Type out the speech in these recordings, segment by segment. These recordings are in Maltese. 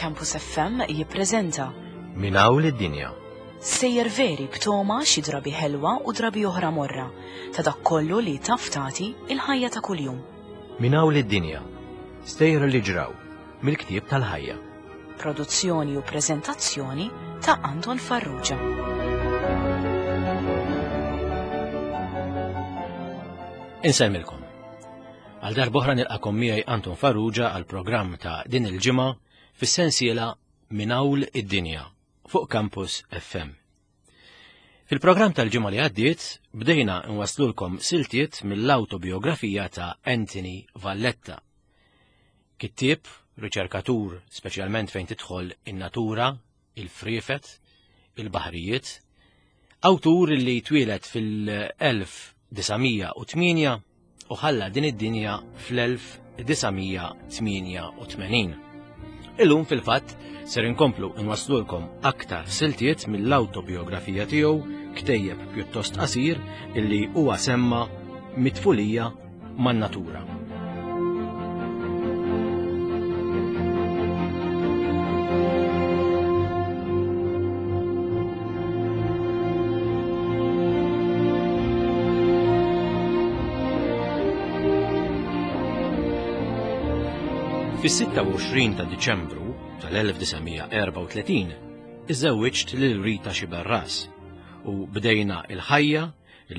Campus FM jippreżenta Min hawn lid-dinja. Sejjer veri b'toma xi drabi ħelwa u drabi oħra morra ta' dak kollu li taf tagħti il-ħajja ta' kuljum. Min hawn lid-dinja. Stejjer li ġraw mill-ktieb tal-ħajja. Produzzjoni u preżentazzjoni ta' Anton Farrugia. Insemmilkom. Għal darb'oħra nilqakom miegħi Anton Farrugia għal programm ta' din il-ġimgħa fis-sensiela Minn Hawn id-Dinja fuq Campus FM. Fil-programm tal-ġimgħa li għaddiet bdejna nwaslulkom siltiet mill-awtobiografija ta' Anthony Valletta. Kittieb, riċerkatur speċjalment fejn tidħol in-natura, il-friefet, il-baħrijiet, awtur li twieled fil-1908 u ħalla din id-dinja fl-1988. Illum fil-fatt ser inkomplu nwaslulkom aktar siltiet mill-awtobiografija tiegħu ktejjeb pjuttost qasir illi huwa semma mitfulija man-natura. Fis-26 ta' Diċembru tal-1934 iżżewwiġt lil Rita Xiberras u bdejna il-ħajja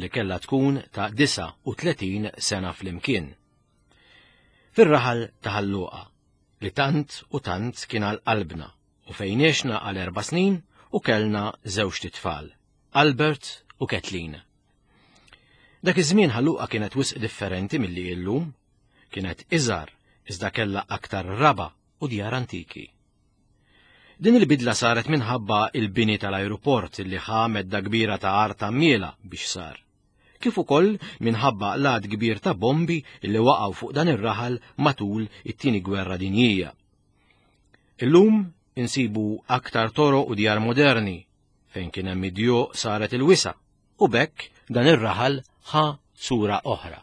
li kellha tkun ta' 39 sena flimkien. Fir-raħal ta' Ħalluqa, li tant u tant kien għal qalbna u fejn għexna għal erba' snin u kellna żewġt itfal, Albert u Kathleen. Dak iż-żmien Ħalluqa kienet wisq differenti milli illum, kienet iżgħar iżda kellha aktar raba' u djar antiki. Din il-bidla saret minħabba il-bini tal-ajruport li ħa medda kbira ta' art għammiela biex sar. Kif ukoll minħabba l-għadd kbir ta' bombi li waqgħu fuq dan ir-raħal matul it-Tieni Gwerra Dinjija. Illum insibu aktar toroq u djar moderni fejn kien hemm id-djuq saret il-wisa' u b'hekk dan ir-raħal ħa sura oħra.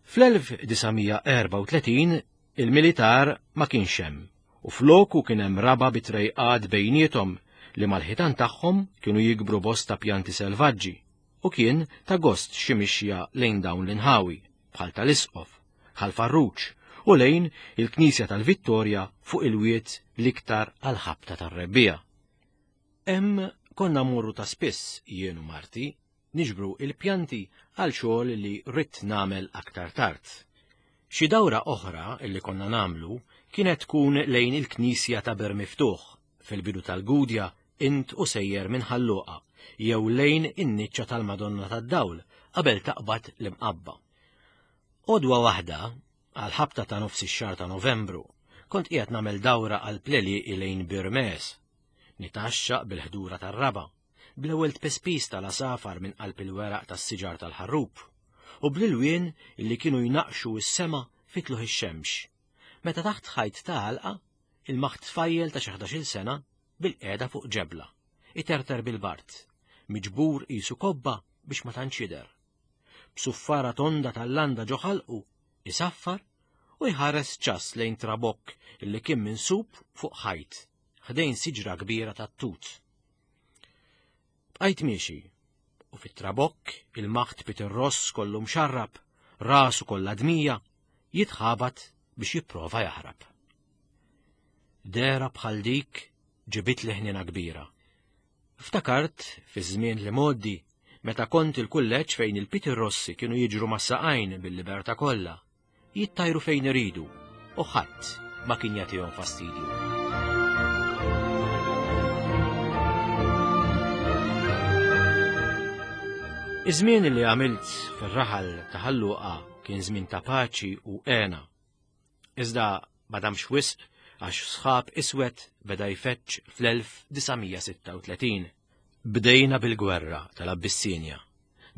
Fl-1934 Il-militar ma kienx hemm u floku kien hemm raba' bi trejqat bejniethom li mal-ħitan tagħhom kienu jikbru bosta pjanti selvaġġi u kien ta' gost xi mixja lejn dawn l-inħawi bħal tal-Isqof, Ħal Farruġ u lejn il-Knisja tal-Vittorja fuq il-wied l-iktar għall-ħabta tar-rebbiegħa. Hemm konna mmorru ta' spiss jien u marti niġbru il-pjanti għal xogħol li ridt nagħmel aktar tard. Xi dawra oħra li konna nagħmlu kienet tkun lejn il-knisja ta' Ber Miftuħ fil-bidu tal-Gudja int u sejjer minn Ħal Luqa jew lejn in-niċċa tal-Madonna tad-Dawl qabel taqbad l-Imqabba. Għodwa waħda, għall-ħabta ta' nofs ix-xahar ta' Novembru, kont qiegħed nagħmel dawra għall-pleliqi lejn Bir Mees, nitgħaxxaq bil-ħdura tar-raba'. bl-ewwel tpespis tal-għasafar minn qalb il-weraq tas-siġar tal-ħarrub, u bl-ilwien li kienu jnaqqxu s-sema fi tluħ ix-xemx, meta taħt ħajt ta' għalqa ilmaħt tfajjel ta' xi ħdax-il sena bilqiegħda fuq ġebla, iterter bil-bard, miġbur qisu kobba biex ma tantx jidher. B'suffara tonda tal-landa ġo ħalqu, isaffar u jħares ċass lejn trabokk li kien minsub fuq ħajt ħdejn siġra kbira tat-tut. Bqajt miexi, u fit-trabokk il-maħt Peter Ross kollu mxarrab, rasu kollha dmija, jitħabat biex jipprova jaħrab. Dehra bħal dik ġibitli ħniena kbira. Ftakart fi żmien li mgħoddi meta kont il-kulleġġ fejn il-Peter Rossi kienu jiġru mas-saqajn bil-libertà kollha. jittajru fejn iridu u ħadd ma kien jagħtihom fastidju. Iż-żmien li għamilt fir-raħal ta' Ħalluqa kien żmien ta' paċi u għena. Iżda ma damx wisq għax sħab iswed beda jfeċċ fl-1936. Bdejna bil-gwerra tal-Abbissinja.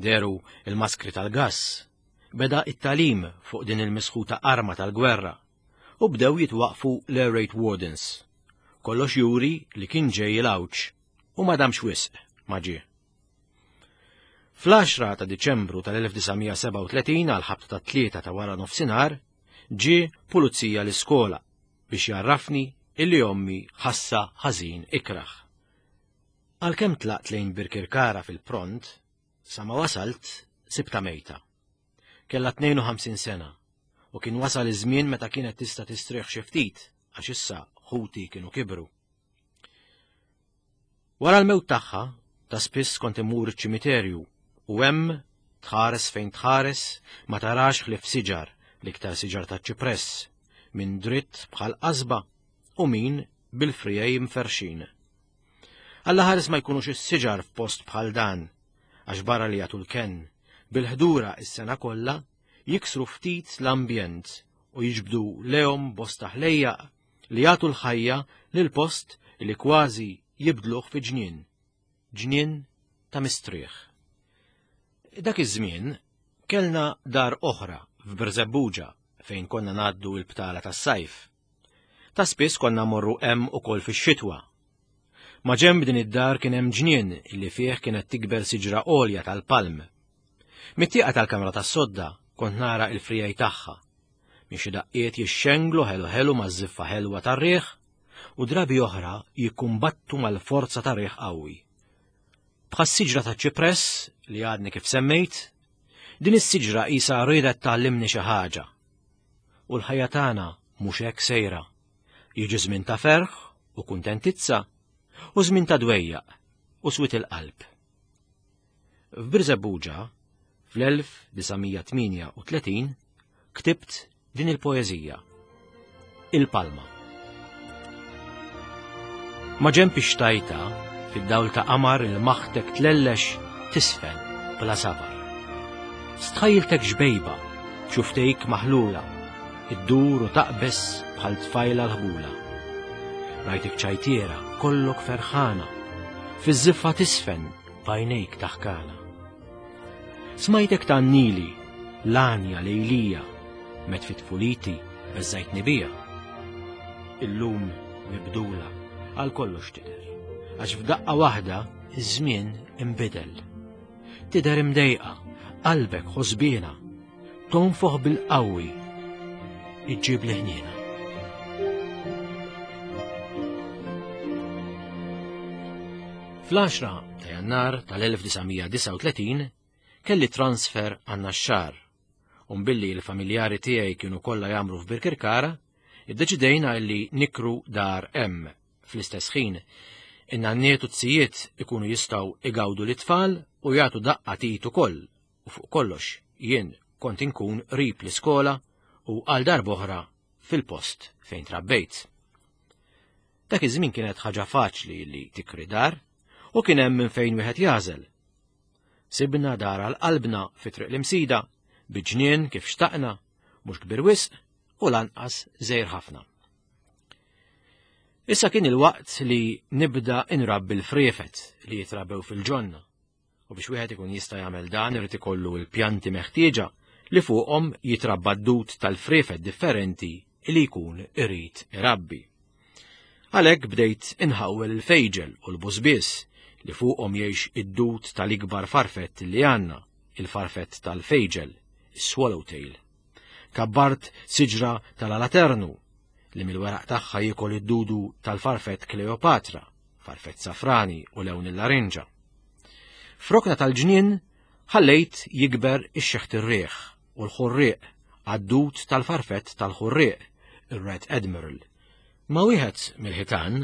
Dehru il-maskri tal-gass, beda it-tagħlim fuq din il-misħuta arma tal-gwerra u bdew jitwaqqfu l-air raid wardens. Kollox juri li kien ġej il-għawġ u ma damx wisq ma ġie. Fl-10 ta' Diċembru tal-1937 għal ħabta tat-tlieta ta' wara nofsinhar ġie pulizija l-iskola biex jgħarrafni illi ommi ħassa ħażin ikrah. Għalkemm tlaqt lejn Birkirkara fil-pront, sa ma wasalt sibta mejta. Kellha 52 sena u kien wasal iż-żmien meta kienet tista' tistrieħ xi ftit għax issa ħuti kienu kibru. Wara l-mewt tagħha, ta' spiss kont immur iċ-ċimiterju u hemm tħares fejn tħares ma tarax ħlief siġar, l-iktar siġar ta' ċipress, min dritt bħal qasba u min bil-frijej mferxin. Alla ħares ma jkunux is-siġar f'post bħal dan, għax barra li jagħtu l-kenn, bil-ħdura is-sena kollha jiksru ftit l-ambjent u jiġbdu lehom bosta ħlejjaq li jagħtu l-ħajja lil post li kważi jibdluh fi ġnien, ġnien ta' mistrieħ. Dak iż-żmien kellna dar oħra f'Birżebbuġa fejn konna ngħaddu l-btala tas-sajf. Ta' spiss konna morru hemm ukoll fix-xitwa. Ma' ġenb din id-dar kien hemm ġnien li fih kienet tikber siġra għolja tal-palm. Mit-tieqa tal-kamra tas-sodda kont nara il-frijaj tagħha Minn xi daqqiet jixxenglu ħelu ħelu maż-żiffa ħelwa tar-riħ u drabi oħra jikkumbattu mal-forza ta' riħ qawwi. Bħas-siġra ta' ċipress li għadni kif semmejt, din is-siġra qisha riedet tgħallimni xi ħaġa. U l-ħajja tagħna mhux hekk sejra. Jiġi żmien ta' ferħ u kuntentizza u żmien ta' dwejjaq u swit il-qalb. F'Birżebbuġa, fl-1938, ktibt din il-poeżija. Il-Palma. Ma ġenb ix-xtajta, fid-dawl ta' qamar il-maħtek tlellex tisfen bla sabar. Stħajiltek xbejba, b'xuftejk maħlula, iddur u taqbeż bħal tfajla l-ħbula. Rajtek ċajtiera, kollok ferħana, fiż-żiffa tisfen b'għajnejk taħkana. Smajtek tgħannili l-għanja lejlija, met fi tfuliti beżżajtni bija. Illum mibdula għal kollox tidher, għax f'daqqa waħda iż-żmien imbidel. Tidher imdejqa, qalbek ħosbiena, tonfoħ bil-qawwi, iġġib li ħniena. Fl-10 ta' Jannar tal-1939 kelli transfer għan-Naxxar u billi l-familjari tiegħi kienu kollha jagħmlu f'Birkirkara, iddeċidejna li nikru dar hemm fl-istess ħin. In-nanniet u t-sijiet ikunu jistgħu igawdu l-itfal u jagħtu daqqa tit ukoll u fuq kollox jien kont inkun qrib l-iskola u għal darb'oħra fil-post fejn trabbejt. Dak iż-żmien kienet ħaġa faċli li tikri dar u kien hemm minn fejn wieħed jażel. Sibna dar għal qalbna fi triq l-imsida, bi ġnien kif xtaqna, mhux kbir wisq u lanqas żejr ħafna. Issa kien il-waqt li nibda inrabbi l-friefet li jitrabew fil-ġonna. U biex wieħed ikun jista' jagħmel dan irid ikollu l-pjanti meħtieġa li fuqhom jitrabba d-dud tal-friefet differenti li jkun irid irabbi. Għalhekk bdejt inħawwel il-fejġel u l-busbies li fuqhom jgħix id-dud tal-ikbar farfett li għandna, il-farfett tal-fejġel, is-swallowtail. Kabbart siġra tal-alaternu li mill-weraq tagħha jiekol id-dudu tal-farfett Kleopatra, farfett safrani u lewn il-larinġa. F'rokna tal-ġnien ħallejt jikber ix-xeħt ir-riħ u l-ħurrieq għad-dud tal-farfett tal-ħurrieq, ir-Red Admiral. Ma wieħed mill-ħitan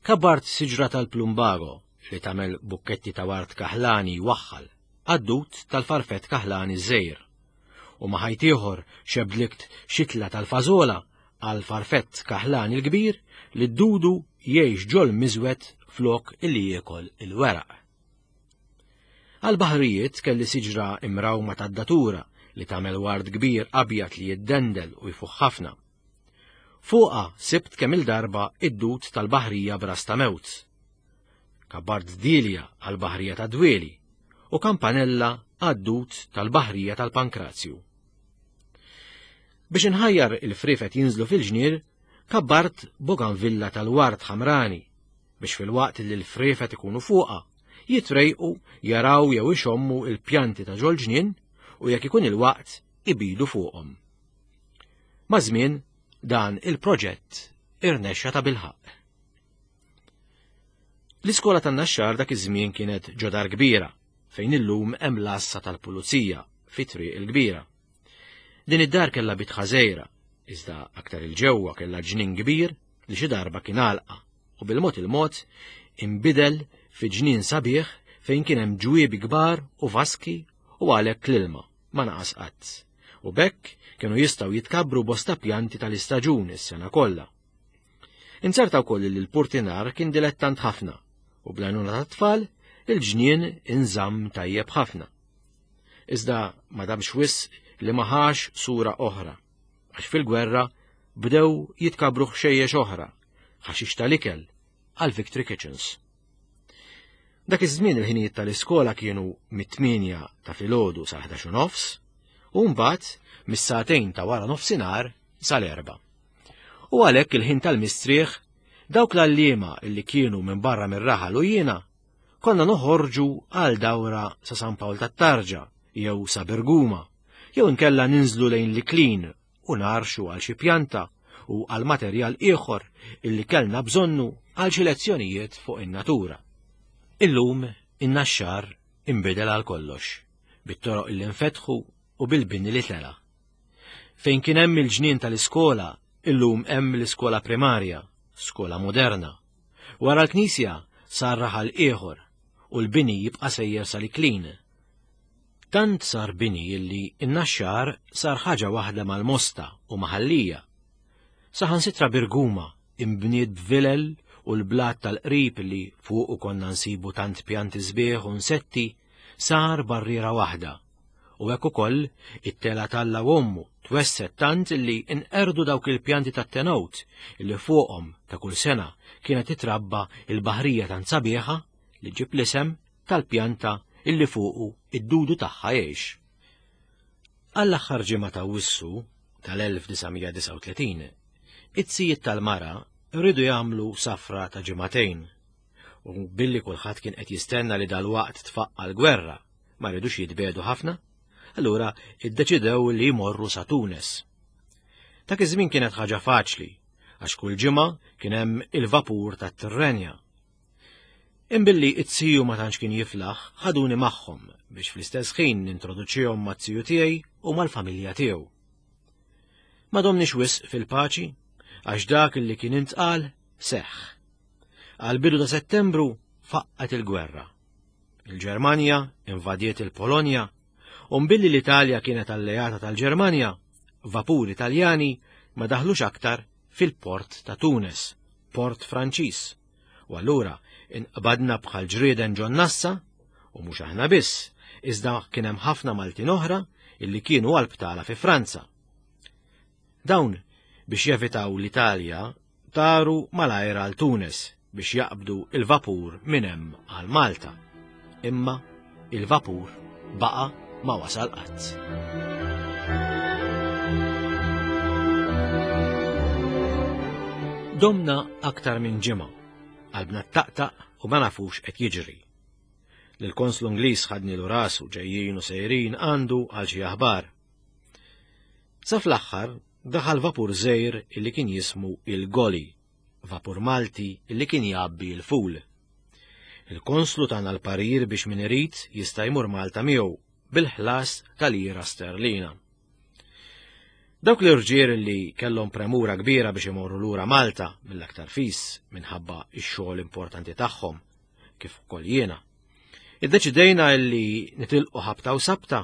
kabbart siġra tal-plumbago li tagħmel bukketti ta' ward kaħlani jwaħħal għad-dud tal-farfett kaħlani żgħir. U ma ħajt ieħor xebdlikt xitla tal-fażola għal farfett kaħlani l-kbir li d-dudu jgħix ġol miżwed flok illi jiekol il-weraq. Għal baħrijiet kelli siġra imrawma tad-datura li tagħmel ward kbir abjad li jiddendel u jfuħ ħafna. Fuqha sibt kemm il-darba id-dud tal-baħrija b'ras ta' mewt. Kabbart dilja għal baħrija ta' dwieli u kampanella għad-dud tal-baħrija tal-pankrazju. Biex inħajjar il-frifet jinżlu fil-ġnier, kabbart boganvilla tal-ward ħamrani biex filwaqt li l-friefet ikunu fuqha, jitrejqu jaraw jew ixommu il-pjanti ta' ġol-ġnien u jekk ikun il-waqt ibidu fuqhom. Maż-żmien dan il-proġett irnexxa ta' bilħaqq. L-iskola tan-Naxxar dak iż-żmien kienet ġodar kbira fejn illum hemm l-għassa tal-pulizija fi triq il-kbira. Din id-dar kellha bitħa żgħira, iżda aktar il-ġewwa kellha ġnien kbir li xi darba kien għalqa u bil-mod il-mod inbidel fi ġnien sabiħ fejn kien hemm ġwiebi kbar u vaski u għalhekk l-ilma ma naqas qatt. U bekk kienu jistgħu jitkabbru bosta pjanti tal-istaġun is-sena kollha. Inzerta wkoll li l-purtinar kien dilettant ħafna u bl-għajnuna tat-tfal il-ġnien inżamm tajjeb ħafna. Iżda ma damx wisq li ma ħax sura oħra, għax fil-gwerra bdew jitkabru ħxejjex oħra, ħaxix tal-ikel għal Victory Kitchens. Dak iż-żmien il-ħinijiet tal-iskola kienu mit-8 ta' filgħodu sa 11 nofs u mbagħad mis-sagħtejn ta' wara nofsinhar sal-erba. U għalhekk il-ħin tal-mistrieħ dawk l-għalliema illi kienu minn barra mir-raħal u jiena konna noħorġu għal dawra sa San Pawl tat-Tarġa jew sa Berguma jew inkella ninżlu lejn l-Iklin u narxu għal xi pjanta u għal materjal ieħor illi kellna bżonnu għal xi lezzjonijiet fuq in-natura. Illum in-Naxxar inbidel għal kollox, bit-toroq illi nfetħu u bil-bini li tela'. Fejn kien hemm il-ġnien tal-iskola, illum hemm l-iskola primarja, skola moderna. Wara l-knisja sar raħal ieħor u l-bini jibqa' sejjer sal-Iklin. Tant sar bini illi n-Naxxar sar ħaġa waħda mal-Mosta u ma' Ħal Lija. Saħansitra Birguma imbniet b'vilel u l-blat tal-qrib li fuqu konna nsibu tant pjanti sbieħ u nsetti sar barriera waħda. U hekk ukoll it-tela t'Alla u Ommu twesset tant li nqerdu dawk il-pjanti tat-tenowt li fuqhom ta' kull sena kienet titrabba il-baħrija tant sabiħa li ġib l-isem tal-pjanta illi fuqu id-dudu tagħha jgħix. Għall-aħħar ġimgħa ta' Awwissu tal-1939, it-sijiet tal-mara rridu jagħmlu safra ta' ġimagħtejn. U billi kulħadd kien qed jistenna li dalwaqt tfaqqa l-gwerra, ma rridux jitbedu ħafna, allura iddeċidew li jmorru sa Tunes. Dak iż-żmien kienet ħaġa faċli, għax kull ġimgħa kien hemm il-vapur tat-Tirrenja. Imbilli it-siju ma tantx kien jiflaħ, ħaduni magħhom biex fl-istess ħin nintroduċihom mat-siju tiegħi u mal-familja tiegħu. Ma domniex wisq fil-paċi, għax dak li kien intqal seħħ. Għal bidu ta' Settembru faqqat il-gwerra. Il-Ġermanja invadiet il-Polonja u mbilli l-Italja kienet alleata tal-Ġermanja, vapuri Taljani ma daħlux aktar fil-port ta' Tunes, port Franċiż. U allura inqbadna bħal ġrieden ġon nassa, u mhux aħna biss, iżda kien hemm ħafna Maltin oħra illi kienu għal btala fi Franza. Dawn biex jevitaw l-Italja taru malajr għal Tunis biex jaqbdu il-vapur minn hemm għal Malta. Imma il-vapur baqa' ma wasal qatt. Domna aktar minn ġimgħa, qalbna taqtaq u ma nafux qed jiġri. Lill-konslu Ingliż ħadnilu rasu ġejjin u sejrin għandu għal xi aħbar. Sa fl-aħħar daħal vapur żgħir illi kien jismu il-Goli, vapur Malti illi kien jgħabbi l-ful. Il-konslu tana l-parir biex min irid jista' jmur Malta miegħu bil-ħlas ta' lira sterlina. Dawk l-irġiel li kellhom premura kbira biex imorru lura Malta mill-aktar fis minħabba x-xogħol importanti tagħhom, kif ukoll jiena. Iddeċidejna li nitilqu ħabta u sabta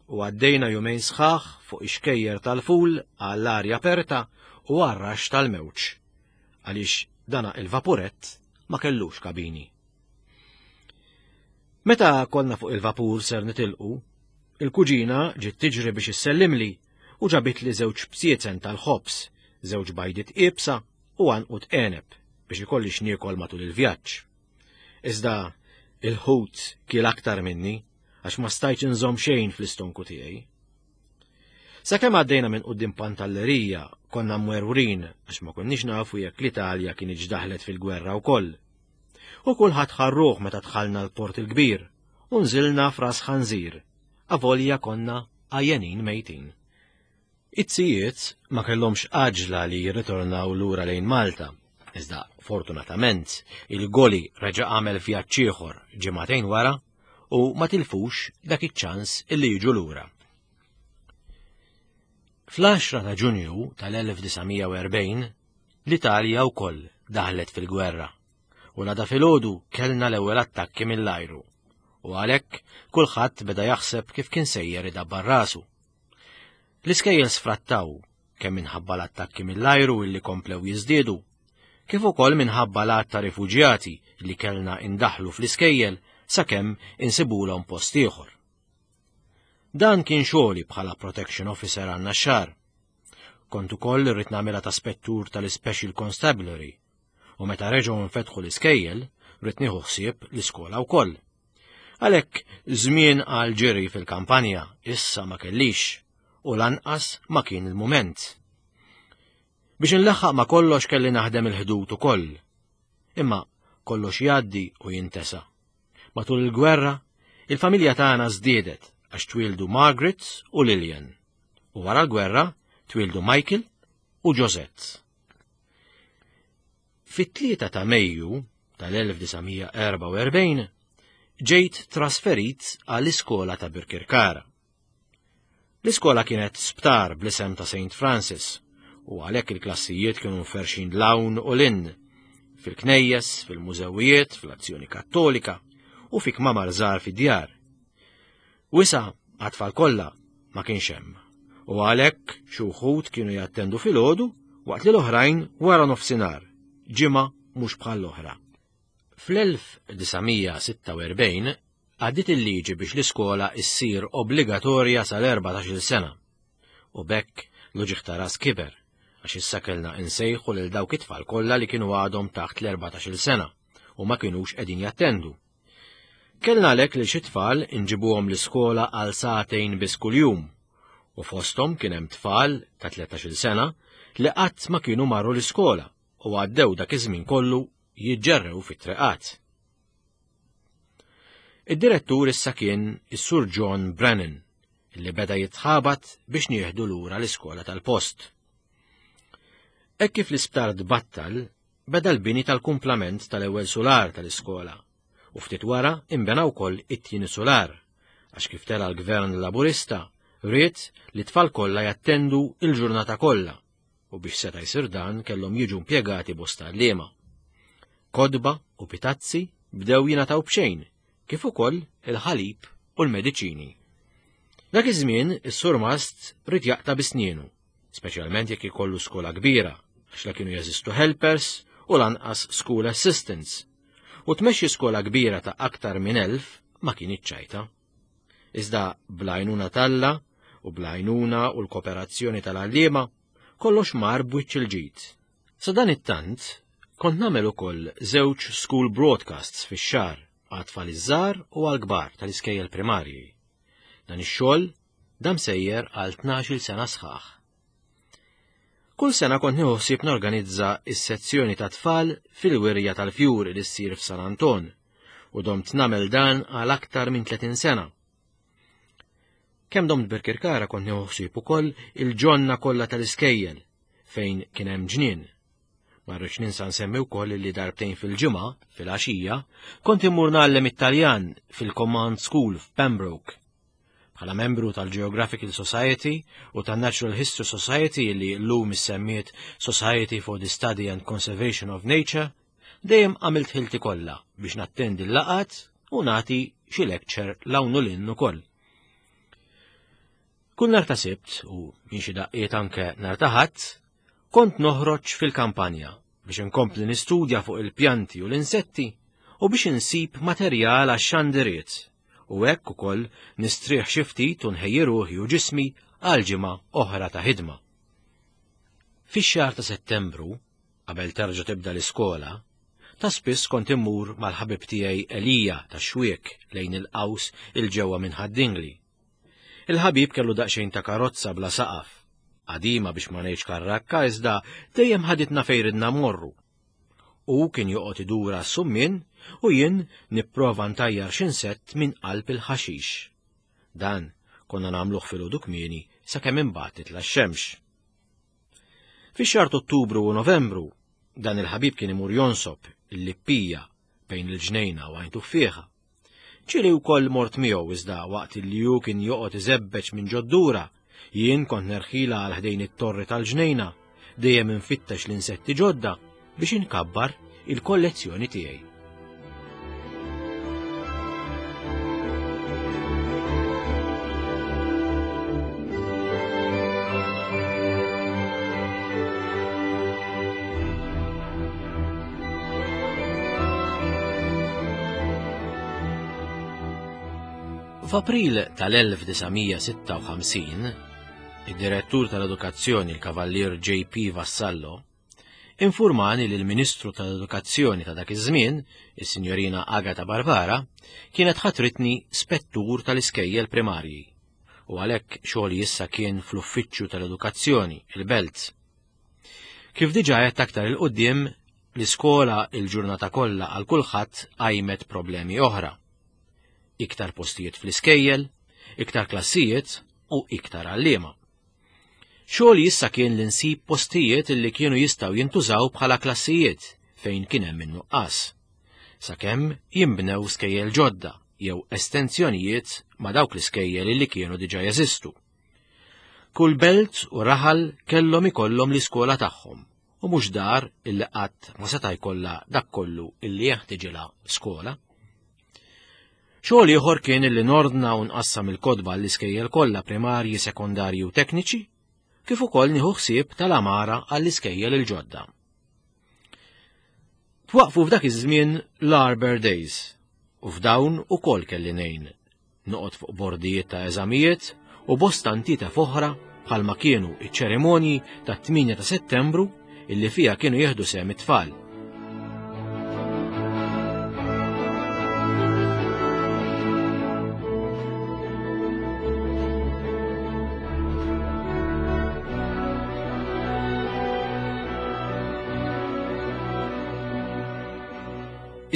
u għaddejna jumejn sħaħ fuq ix-xkejjer tal-ful għall-arja aperta u għar-raxx tal-mewġ għaliex dana il-vapurett ma kellux kabini. Meta konna fuq il-vapur ser nitilqu, il-kuġina ġiet tiġri biex issellimli u ġabitli żewġ bsiezen tal-ħobż, żewġ bajdiet iebsa u għanqud għeneb biex ikolli x'niekol matul il-vjaġġ. Iżda il-ħut kiel aktar minni għax ma stajtx inżomm xejn fl-istonku tiegħi. Sakemm għaddejna minn quddiem Pantallerija konna mwerwrin għax ma konniex nafu jekk l-Italja kinitx daħlet fil-gwerra wkoll. U kulħadd ħarruh meta dħalna l-Port il-Kbir u nżilna f'Ras Ħanżir, avolja konna għajjenin mejtin. It-zijiet ma kellhomx għaġla li jirritornaw lura lejn Malta, iżda fortunatament il-goli reġa' għamel vjaġġ ieħor ġimagħtejn wara u ma tilfux dak iċ-ċans illi jiġu lura. Fl-10 ta' Ġunju tal-1940 l-Italja wkoll daħlet fil-gwerra u l-għada filgħodu kellna l-ewwel attakki mill-ajru u għalhekk kulħadd beda jaħseb kif kien sejjer idabbar rasu. L-iskejjel sfrattaw kemm minħabba l-attakki mill-ajru illi komplew jiżdiedu, kif ukoll minħabba l-għadd ta' rifuġjati li kellna indaħlu fl-iskejjel sakemm insibulhom post ieħor. Dan kien xogħli bħala Protection Officer għan Naxxar. Kont ukoll irrid nagħmilha ta' spettur tal-Special Constabulary u meta reġgħu nfetħu l-iskejjel rrid nieħu ħsieb l-iskola wkoll. Għalhekk żmien għal ġiri fil-kampanja issa ma kellix u lanqas ma kien il-mument. Biex inlaħħaq ma kollox kelli naħdem il-ħdud ukoll. Imma kollox jgħaddi u jintesa. Matul il-gwerra, il-familja tagħna żdiedet għax twieldu Margaret u Lillian. U wara l-gwerra twieldu Michael u Josette. Fit-3 ta' Mejju tal-1944 ġejt trasferit għall-iskola ta' Birkirkara. L-iskola kienet sptar bl-isem ta' St. Francis u għalhekk il-klassijiet kienu mferxin l-hawn u l-in, fil-knejjes, fil-mużewijiet, fl-azzjoni kattolika u fi kmamar żgħar fid-djar. Wisa għat-tfal kollha ma kienx hemm u għalhekk xi wħud kienu jattendu filgħodu waqt li l-oħrajn wara nofsinhar, ġimgħa mhux bħal l-oħra. Fl-1946 għaddiet il-liġi biex l-iskola issir obbligatorja sal-14-il sena. U b'hekk l-uġigħ ta' ras kiber għax issa kellna insejħu lil dawk it-tfal kollha li kienu għadhom taħt l-14-il sena u ma kinux qegħdin jattendu. Kellna għalhekk li xi tfal inġibuhom l-iskola għal sagħtejn biss kuljum u fosthom kien hemm tfal ta' 13-il sena li qatt ma kienu marru l-iskola u għaddew dak iż-żmien kollu jiġġerrew fit-triqat. Id-direttur issa kien is-Sur John Brennan, li beda jitħabat biex nieħdu lura l-iskola tal-post. Hekk kif l-isptar tbattal, beda l-bini tal-kumplament tal-ewwel sular tal-iskola u ftit wara imbena wkoll it-tieni sular għax kif tela l-gvern Laburista ried li tfal kollha jattendu il-ġurnata kollha u biex seta' jsir dan kellhom jiġu impjegati bosta għalliema. Kotba u pitazzi bdew jingħataw b'xejn, kif ukoll il-ħalib u l-mediċini. Dak iż-żmien is-surmast ried jaqta' bi snienu, speċjalment jekk ikollu skola kbira, għax la kienu jeżistu helpers u lanqas school assistants. U tmexxi skola kbira ta' aktar minn 1000 ma kinitx ċajta. Iżda bl-għajnuna t'Alla u bl-għajnuna u l-kooperazzjoni tal-għalliema, kollox mar b'wiċċ il-ġid. Sadanittant, kont nagħmel ukoll żewġ school broadcasts fix-xahar għat-tfal iż-żgħar u għall-kbar tal-iskejjel primarji. Dan ix-xogħol dam sejjer għal 12-il sena sħaħ. Kull sena kont nieħu ħsieb norganizza s-sezzjoni ta' tfal fil-wirja tal-fjuri li ssir f'San Anton u domt nagħmel dan għal aktar minn 30 sena. Kemm domt Birkirkara kont nieħu ħsieb ukoll il-ġonna kollha tal-iskejjel fejn kien hemm ġnien. Ma rridx ninsa nsemmi wkoll li darbtejn fil-ġimgħa, fil-għaxija, kont immur ngħallem it-Taljan fil-Command School f'Pembroke. Bħala membru tal-Geographical Society u tan-Natural History Society li llum issemmiet Society for the Study and Conservation of Nature, dejjem għamilt ħilti kollha biex nattendi l-laqgħat u nagħti xi lecture 'l hawn u 'l hinn ukoll. Kull nhar ta' Sibt u minn xi daqqiet anke nhar ta' Ħadd, kont noħroġ fil-kampanja biex inkompli nistudja fuq il-pjanti u l-insetti u biex insib materjal għax-xandiriet u hekk ukoll nistrieħ xi ftit u nħejji ruħi u ġismi għal ġimgħa oħra ta' ħidma. Fix-xahar ta' Settembru, qabel terġa' tibda l-iskola, ta' spiss kont immur mal-ħabib tiegħi Elija tax-Xwiek lejn il-qaws 'il ġewwa minn Ħad-Dingli. Il-ħabib kellu daqsxejn ta' karozza bla saqaf, qadima biex ma ngħidx karrakka iżda dejjem ħaditna fejn ridna mmorru. Hu kien joqgħod idur għas-summien u jien nipprova ntajjar xi insett minn qalb il-ħaxix. Dan konna nagħmluh filgħodu kmieni sakemm imbagħad titla' x-xemx. Fix-xahar t'Ottubru u Novembru, dan il-ħabib kien imur jonsob il-lippija bejn il-ġnejna u għajn tuffieħa. Ġieli wkoll mort miegħu iżda waqt li hu kien joqgħod iżebbeġ minn ġoddura, jien kont nerħila għal ħdejn it-torri tal-ġnejna, dejjem infittex l-insetti ġodda biex inkabbar il-kollezzjoni tiegħi. F'April tal-1956, id-Direttur tal-Edukazzjoni l-Kavallier J.P. Vassallo infurmani li l-Ministru tal-Edukazzjoni ta' dak iż-żmien, is-Sinjorina Agata Barbara, kienet ħatritni spettur tal-iskejjel primarji u għalhekk xogħli issa kien fl-Uffiċċju tal-Edukazzjoni, il-Belt. Kif diġà għedt aktar 'il quddiem, l-iskola il-ġurnata kollha għal kulħadd qajmet problemi oħra. Iktar postijiet fl-iskejjel, iktar klassijiet u iktar għalliema. Xogħli issa kien li nsib postijiet li kienu jistgħu jintużaw bħala klassijiet fejn kien hemm in-nuqqas. Sakemm jinbnew skejjel ġodda jew estensjonijiet ma' dawk l-iskejjel li kienu diġà jeżistu. Kull belt u raħal kellhom ikollhom l-iskola tagħhom u mhux dar illi qatt ma seta' jkollha dak kollu illi jeħtiġilha skola. Xogħol ieħor kien illi nordna u nqassam il-kotba għall-iskejjel kollha primarji, sekondarji u tekniċi, kif ukoll nieħu ħsieb tal-għamara għall-iskejjel il-ġodda. Twaqfu f'dak iż-żmien l-Arbor Days u f'dawn ukoll kelli ngħin noqgħod fuq bordijiet ta' eżamijiet u bosta ntitef oħra bħalma kienu iċ-ċerimonji tat-8 ta' Settembru illi fiha kienu jieħdu sehem it-tfal.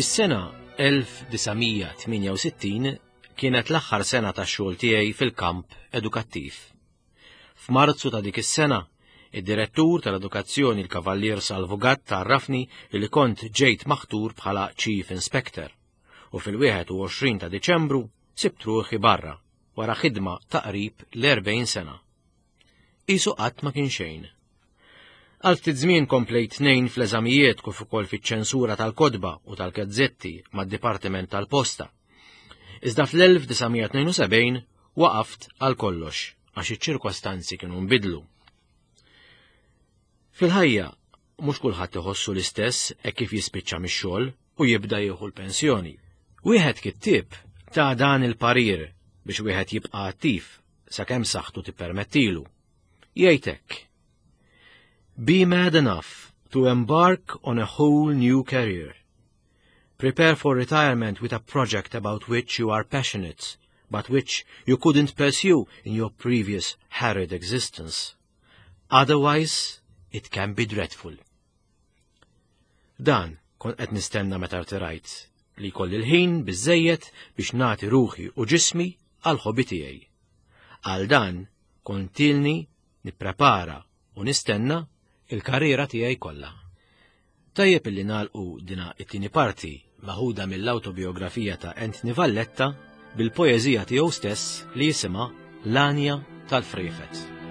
Is-sena 1968 Kienet l-aħħar sena tax-xogħol tiegħi fil-kamp edukattiv. F'Marzu ta' dik is-sena, id-Direttur tal-Edukazzjoni l-Kavallier Salvu Gatt għarrafni li kont ġejt maħtur bħala Chief Inspector u fil-21 ta' Diċembru sibt ruħi barra wara ħidma ta' qrib l-40 sena. Qisu qatt ma kien xejn. Għal ftit żmien komplejt ngħin fl-eżamijiet kif ukoll fiċ-ċensura tal-kotba u tal-gazzetti mad-Dipartiment tal-Posta. Iżda fl-1972 waqaft għal kollox għax iċ-ċirkostanzi kienu nbidlu. Fil-ħajja mhux kulħadd iħossu l-istess hekk kif jispiċċa mix-xogħol u jibda jieħu l-pensjoni. Wieħed kittieb ta' dan il-parir biex wieħed jibqa' attiv sakemm saħħtu tippermettilu. Jgħid hekk. Be mad enough to embark on a whole new career. Prepare for retirement with a project about which you are passionate, but which you couldn't pursue in your previous harried existence. Otherwise, it can be dreadful. Dan kont qed nistenna meta rtirajt li jkolli l-ħin biżejjed biex nagħti ruħi u ġismi għal ħobi tiegħi. Għal dan kont ilni nipprepara u nistenna il-karriera tiegħi kollha. Tajjeb illi nagħlqu dina it-tieni parti maħuda mill-awtobiografija ta' Anthony Valletta bil-poeżija tiegħu stess li jisimha L-Għanja tal-Friefet.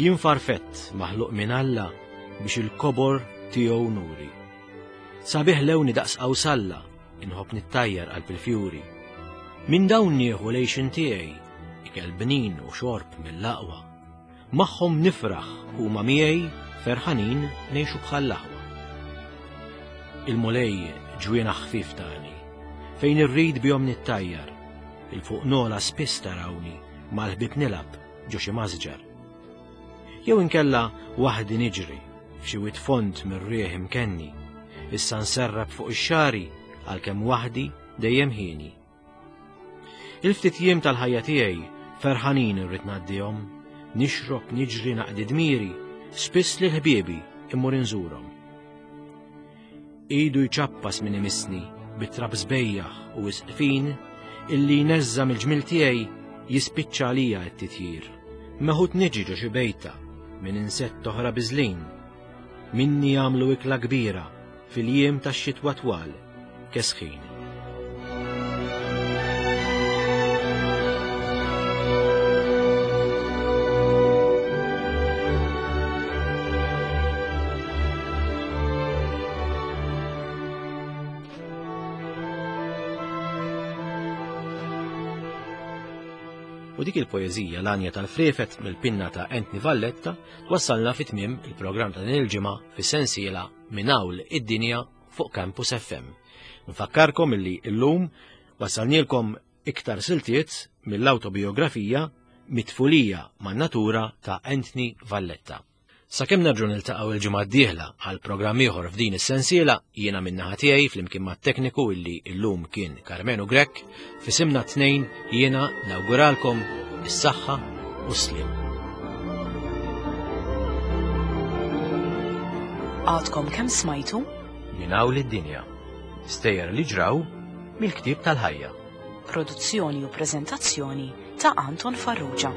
Jien farfett maħluq minn Alla biex il-kobor tiegħu nuri. Sabiħ lewni daqs qawsalla, inħobb nittajjar qalb il-fjuri. Minn dawn nieħu lejxin tiegħi, ikel bnin u xorb mill-aqwa. Magħhom nifraħ huma miegħi ferħanin ngħixu bħall-aħwa. Il-Mulej ġwienaħ ħfief tani, fejn irrid bihom nittajjar, il fuq nola spiss tarawni mal-ħbieb nilgħab ġo xi masġar. Jew inkella waħdi niġri F'xi wied fond mir-riħ imkenni, issa nserrab fuq ix-xagħri għalkemm waħdi dejjem hieni. Il-ftit jiem tal-ħajja tiegħi ferħanin irrid ngħaddihom, nixrob, niġri, naqdi dmiri, spiss lil ħbiebi immur inżurhom. Idu jċappas min imissni bit-trab sbejjaħ u wisq fin illi jneżża' mill-ġmiel tiegħi jispiċċa għalija t-titjir. Meħud niġi ġo xi bejta minn insett oħra biżlin. Minni jagħmlu ikla kbira fil-jiem tax-xitwa twal kesħin. U dik il-poeżija l-għanja tal-friefet mill-pinna ta' Anthony Valletta twassalna fi tmiem il-programm ta' din il-ġimgħa fis-sensiela minn hawn id-dinja fuq Campus FM. Nfakkarkom illi llum wassalnielkom iktar siltiet mill-awtobiografija Mitfulija man-Natura ta' Anthony Valletta. Sakemm nerġgħu niltaqgħu il-ġimgħa d-dieħla għal programm ieħor f'din is-sensiela, jiena min-naħa tiegħi flimkien mat-tekniku illi llum kien Karmenu Grech, f'isimna t-tnejn jiena nawguralkom is-saħħa u s-sliem. Għadkom kemm smajtu? Minn hawn id-dinja. Stejjer li ġraw mill-ktieb tal-ħajja. Produzzjoni u preżentazzjoni ta' Anton Farrugia.